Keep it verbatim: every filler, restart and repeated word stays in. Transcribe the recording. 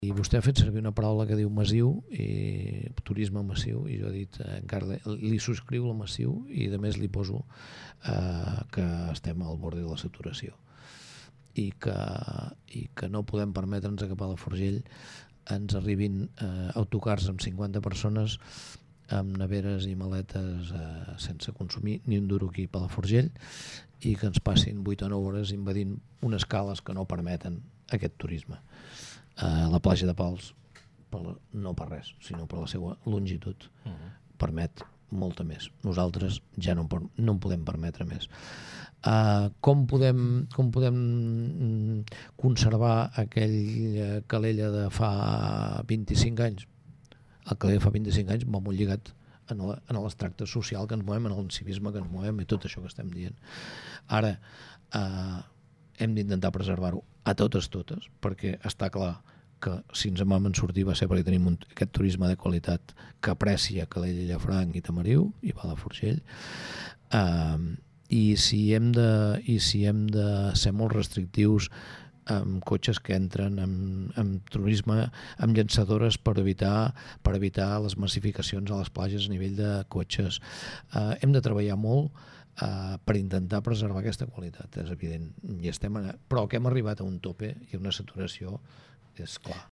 I vostè ha fet servir una paraula que diu massiu, i turisme massiu, i jo he dit, eh, encara li subscriu el massiu i a més li poso eh, que estem al bord de la saturació i que, i que no podem permetre'ns que a Palafrugell ens arribin eh, autocars amb cinquanta persones amb neveres i maletes eh, sense consumir ni un duro aquí a Palafrugell i que ens passin vuit o nou hores invadint unes cales que no permeten aquest turisme. Uh, la platja de Pals, per, no per res, sinó per la seva longitud, uh-huh. permet molta més. Nosaltres ja no, no en podem permetre més. Uh, com podem, com podem conservar aquell Calella de fa vint-i-cinc anys? El Calella de fa vint-i-cinc anys va molt lligat en l'extracte social que ens movem, en el civisme que ens movem i tot això que estem dient. Ara, uh, hem d'intentar preservar-ho a totes totes, perquè està clar que si ens en vam sortir va ser perquè tenim un, aquest turisme de qualitat que aprecia Calella, Llafranc i Tamariu i Palafrugell, uh, i si hem de i si hem de ser molt restrictius amb cotxes que entren amb, amb turisme, amb llançadores per evitar, per evitar les massificacions a les platges a nivell de cotxes. Uh, hem de treballar molt Uh, per intentar preservar aquesta qualitat, és evident, i estem en... però que hem arribat a un tope i una saturació és clar.